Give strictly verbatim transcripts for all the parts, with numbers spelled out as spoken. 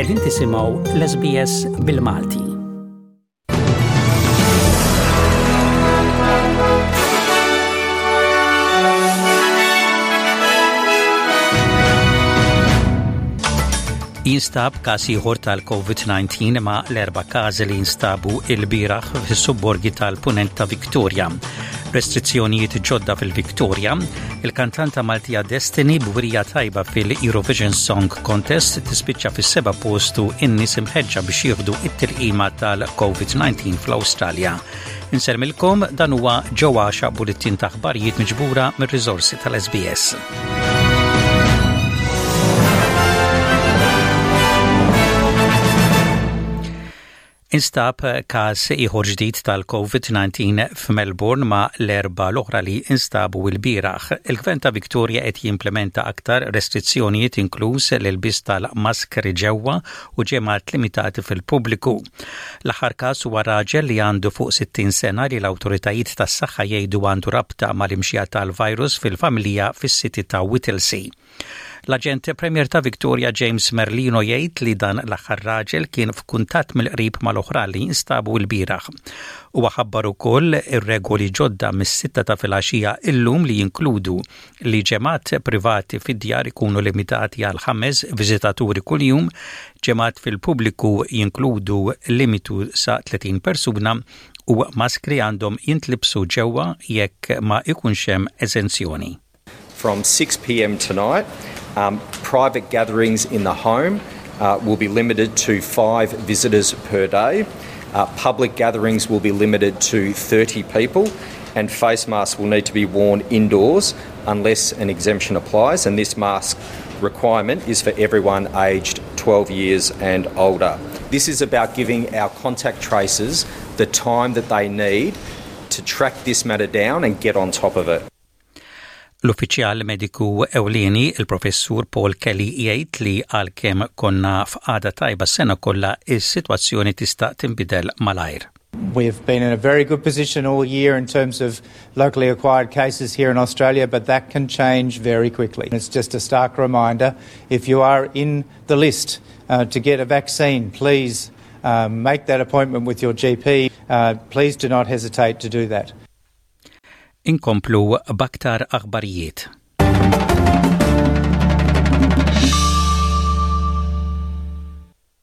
Qegħdin tisimgħu l-S B S bil-Malti. Jinstab każ ieħor tal-COVID disa ma' l-erba' każi li jinstabu il-bieraħ fis-subborgi tal-Punent ta' Victoria. Restrizzjonijiet ġodda fil-Victoria, il-kantanta Maltija Destiny b'wirja tajba fil-Eurovision Song Contest tispiċċa fis-seba' postu, in-nies imħeġġa biex jieħdu it-tilqima tal-COVID disa fl-Awstralja. Insellmilkom, dan huwa ġewwaxa bulletin ta' aħbarijiet miġbura mir-riżorsi tal-S B S. Instab każ ieħor ġdid tal-COVID disa f'Melbourne ma' l-erba' l-oħra li instabu l-bieraħ. Il-Gvern ta' Victoria qed jimplementa aktar restrizzjonijiet, inkluż l-ilbis tal-maskri ġewwa u ġemgħat limitati fil-pubbliku. L-aħħar każ huwa raġel li għandu fuq sittin sena li l-awtoritajiet tas-saħħa jgħidu għandu rabta mal-imxija tal-virus fil-familja fis-city ta' Whittlesea. L-aġent Premier ta' Victoria James Merlino jgħid li dan l-aħħar raġel kien f'kuntatt mill-qrib mal-oħra li instabu l-bieraħ. Huwa ħabbar ukoll ir-regoli ġodda mis-sitta ta' filgħaxija illum li jinkludu li ġemgħat privati fid-djar ikunu limitati għal ħames viżitaturi kuljum, ġemgħat fil-pubbliku jinkludu limitu sa tletin persuna u maskri għandhom jintlibsu ġewwa jekk ma ikunx hemm eżenzjoni. From six p m tonight, um, private gatherings in the home uh, will be limited to five visitors per day. Uh, public gatherings will be limited to thirty people, and face masks will need to be worn indoors unless an exemption applies. And this mask requirement is for everyone aged twelve years and older. This is about giving our contact tracers the time that they need to track this matter down and get on top of it. L-uffiċjal mediku ewlieni, il-professur Paul Kelly, jgħid li għalkemm konna f'qagħda tajba sena kollha, is-sitwazzjoni tista' tinbidel malajr. We've been in a very good position all year in terms of locally acquired cases here in Australia, but that can change very quickly. It's just a stark reminder: if you are in the list uh, to get a vaccine, please um, make that appointment with your G P. Uh, please do not hesitate to do that. Inkomplu b'aktar aħbarijiet.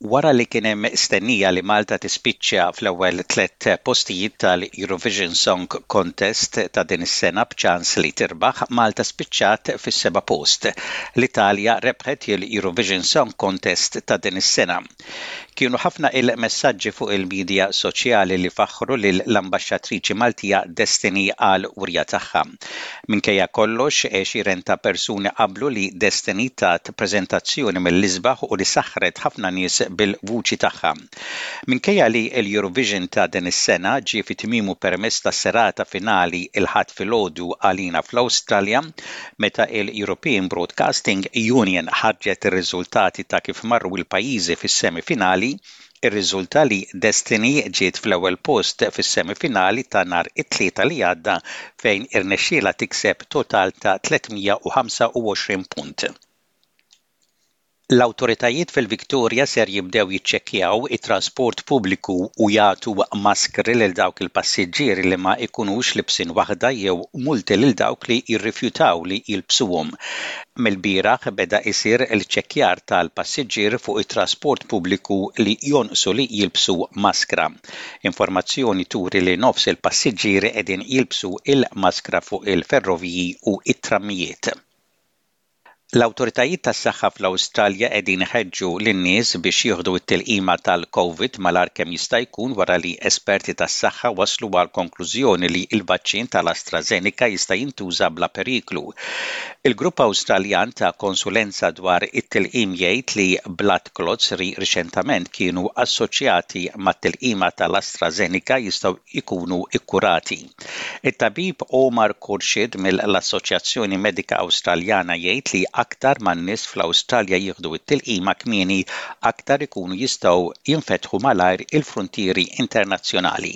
Wara li kien hemm stennija li Malta tispiċċa fl-ewwel tliet postijiet tal-Eurovision Song Contest ta' din is-sena b'ċans li tirbaħ, Malta spiċċat fis-seba' post. L-Italja rebħet il-Eurovision Song Contest ta' din is-sena. Kienu ħafna il-messaġġi fuq il-medja soċjali li faħru lill-ambaxxatriċi Maltija Destiny għal wirja tagħha. Minkejja kollox, għexieren ta' persuni qablu li Destiny tat preżentazzjoni mill-isbaħ u li saħret ħafna nies bil-vuċi tagħha. Minkejja li l-Eurovision ta' din is-sena ġie fi tmiemu permezz ta' serata finali il-Ħadd filgħodu għalina fl-Awstralja, meta il-European Broadcasting Union ħarġet ir-riżultati ta' kif marru il-pajjiżi fis-semifinali, irriżulta li Destiny ġiet fl-ewwel post fis-semifinali ta' nhar it-Tlieta li għadda, fejn irnexxiela tikseb total ta' tliet mija u ħamsa u għoxrin punt. L-awtoritajiet fil-Victoria ser jibdew jiċċekkjaw it-trasport pubbliku u jagħtu maskri lil dawk il-passiġġieri li ma jkunux libsin waħda jew multi lil dawk li jirrifjutaw li jilbsuhom. Mill-bieraħ beda isir il-ċekkjar tal-passiġġier fuq it-trasport pubbliku li jonqsu li jilbsu maskra. Informazzjoni turi li nofs il-passiġġieri qegħdin jilbsu il-maskra fuq il-ferroviji u it-trammijiet. L-awtoritajiet tas-saħħa fl-Awstralja qegħdin iħeġġu lin-nies biex jieħdu t-tilqima tal-COVID malajr kemm jista' jkun wara li esperti tas-saħħa waslu għal konklużjoni li l-vaċċin tal-AstraZeneca jista' jintuża bla periklu. Il-Grupp Awstraljan ta' konsulenza dwar it-tilqim jgħid li blood clots li riċentament kienu assoċjati mat-tilqima tal-AstraZeneca jistgħu jkunu ikkurati. Il-tabib Omar Khorshid mill-Assoċjazzjoni Medika Awstraljana jgħid li aktar man-nies fl-Awstralja jieħdu t-tilqima kmieni, aktar ikunu jistgħu jinfetħu malajr il-frontieri internazzjonali.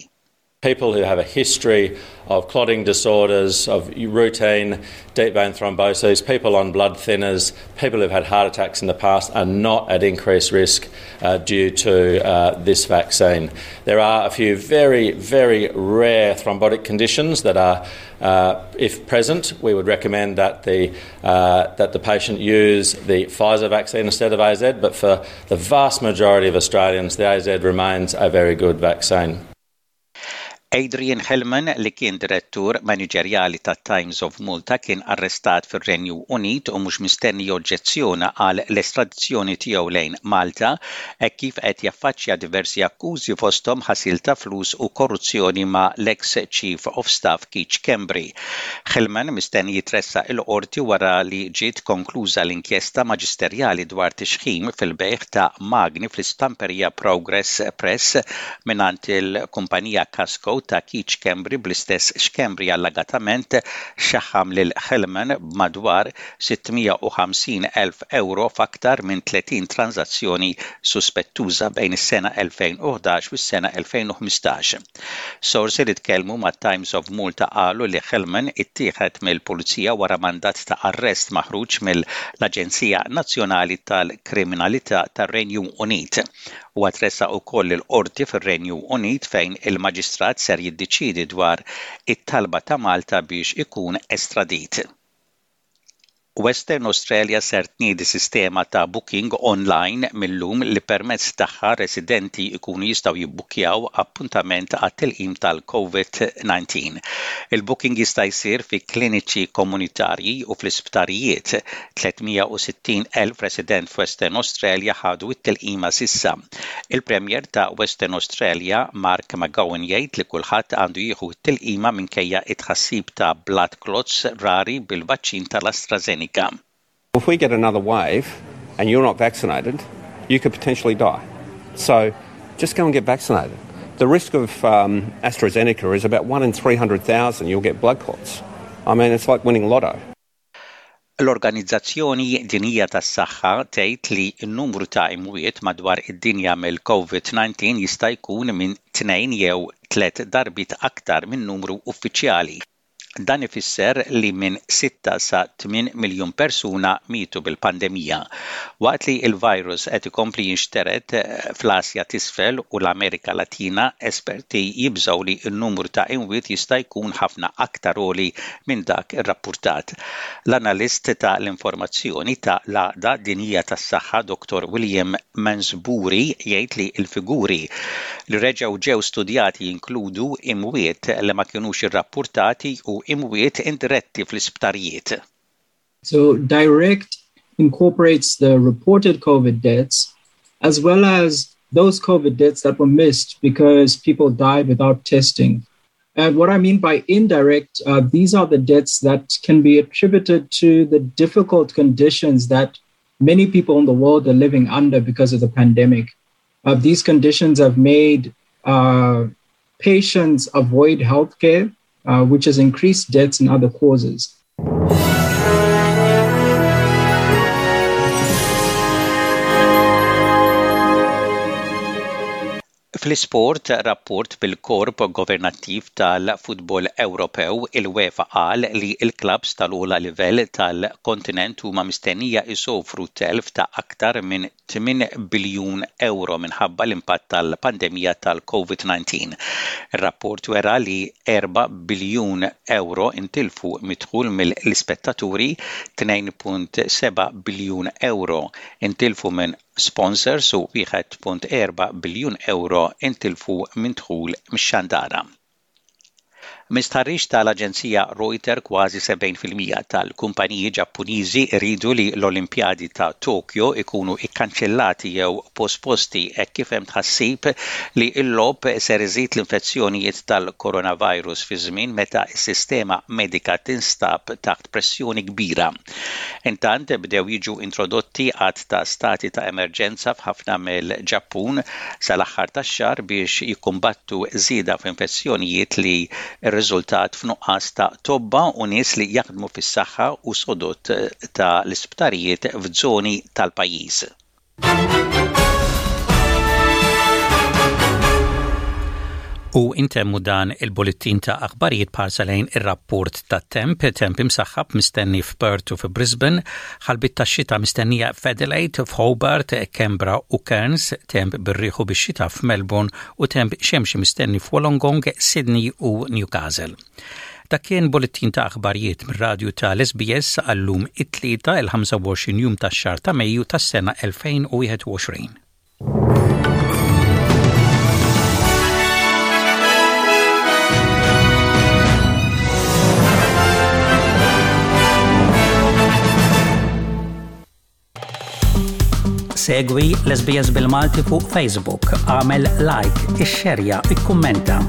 People who have a history of clotting disorders, of routine deep vein thrombosis, people on blood thinners, people who've had heart attacks in the past are not at increased risk uh, due to uh, this vaccine. There are a few very, very rare thrombotic conditions that are, uh, if present, we would recommend that the, uh, that the patient use the Pfizer vaccine instead of A Z, but for the vast majority of Australians, the A Z remains a very good vaccine. Adrian Hillman, li kien direttur maniġerjali ta' Times of Malta, kien arrestat fir-Renju Unit u mhux mistenni joġġezzjona għal l-estradizzjoni tiegħu lejn Malta e kif qed jaffaċċja diversi akkużi, fosthom ħasil ta' flus u korruzzjoni ma' l-ex Chief of Staff Keith Schembri. Hillman mistenni jitressaq il-qorti wara li ġiet konkluża l-inkjesta maġisterjali dwar tixħim fil-bejgħ ta' magni fl-istamperija Progress Press mingħand il-kumpanija Kasco ta' Keith Schembri, bl-istess Schembri allegatament xaħam lil Hillman b'madwar sitt mija u ħamsin elf euro f'aktar minn tletin transazzjoni suspettuża bejn is-sena elfejn u ħdax u s-sena elfejn u ħmistax. Sorsi li tkellmu ma' Times of Malta qalu li Hillman ittieħed mill-pulizija wara mandat ta' arrest maħruġ mill-Aġenzija Nazzjonali tal-Kriminalità tar-Renju Unit. U tressaq ukoll il-qorti fir-Renju Unit, fejn il-maġistrat ser jiddeċidi dwar it-talba ta' Malta biex ikun estradit. Western Australia ser tniedi sistema ta' booking online mill-lum li permezz tagħha residenti ikunu jistgħu jibbukkjaw appuntament għat-tilqim tal-COVID nineteen. Il-booking jista' jsir fi kliniċi komunitarji u fl-isptarijiet. tliet mija u sittin elf resident f'Western Australia ħadu t-tilqima s'issa. Il-Premier ta' Western Australia Mark McGowan jgħid li kulħadd għandu jieħu t-tilqima minkejja it-tħassib ta' blood clots rari bil-vaċċin tal-AstraZeneca. If we get another wave and you're not vaccinated, you could potentially die. So just go and get vaccinated. The risk of um, AstraZeneca is about one in three hundred thousand you'll get blood clots. I mean, it's like winning lotto. L-Organizzazzjoni Dinjija tas-Saħħa tgħid li n-numru ta' imwiet madwar id-dinja mill-COVID nineteen jista' jkun minn tnejn jew tliet darbiet aktar minn numru uffiċjali. Dan ifisser li minn sitta sa tmien miljun persuna mietu bil-pandemija. Waqt li il-virus qed ikompli jinxtered fl-Asja t'Isfel u l-Amerika Latina, esperti jibżgħu li n-numru ta' imwiet jista' jkun ħafna aktar għoli minn dak irrappurtat. L-analist ta' l-informazzjoni ta' l-Għaqda Dinjija tas-Saħħa Doctor William Mansbury jgħid li l-figuri li reġgħu ġew studjati jinkludu imwiet li ma kinux irrappurtati u imwiet indiretti fl-isptarijiet. So direct incorporates the reported COVID deaths as well as those COVID deaths that were missed because people died without testing. And what I mean by indirect, uh, these are the deaths that can be attributed to the difficult conditions that many people in the world are living under because of the pandemic. Uh, these conditions have made uh, patients avoid healthcare, uh, which has increased deaths and other causes. Fl-isport, rapport bil-korp governattiv tal-futbol Ewropew, il-UEFA, qal li l-klabs tal-ogħla livell tal-kontinent huma mistennija jsofru telf ta' aktar minn tmien biljun euro minħabba l-impatt tal-pandemija tal-COVID nineteen. Ir-rapport wera li erba' biljun euro intilfu mid-dħul mill-ispettaturi, tnejn punt seba' biljun euro intilfu minn sponsors u wieħed punt erba' biljun euro intilfu minn dħul mix-xandara. Minn stħarriġ tal-Aġenzija Reuters, kważi sebgħin fil-mija tal-kumpaniji Ġappuniżi iridu li l-Olimpjadi ta' Tokyo ikunu ikkanċellati jew posposti hekk kif hemm tħassib li l-logħob ser iżid l-infezzjonijiet tal-coronavirus fi żmien meta s-sistema medika tinstab taħt pressjoni kbira. Intant, bdew jiġu introdotti għadd ta' stati ta' emerġenza f'ħafna mill-Ġappun sal-aħħar tax-xahar biex jikkumbattu żieda f'infezzjonijiet li rriżultat f'nuqqas ta' tobba u nies li jaħdmu fis-saħħa u sodod ta' l-isptarijiet f'żoni tal-pajjiż. U intemmu dan il-bullettin ta' aħbarijiet b'ħarsa lejn ir-rapport ta' temp, temp imsaħħab mistenni f'Perth u f'Brisbane, ħalbiet ta' xita mistennija f'Adelaide, f'Hobart, Canberra u Cairns, temp bir-riħ u bix-xita f'Melbourne u temp xemxi mistenni f'Wollongong, Sydney u Newcastle. Dak kien bullettin ta' aħbarijiet mir-radju tal-S B S għal-lum it-tlieta il-ħamsa u għoxrin jum tax-xahar ta' Mejju tas-sena elfejn u wieħed u għoxrin. Segwi l-S B S bil-Malti fuq Facebook, għamel like, ixxerja, ikkummenta.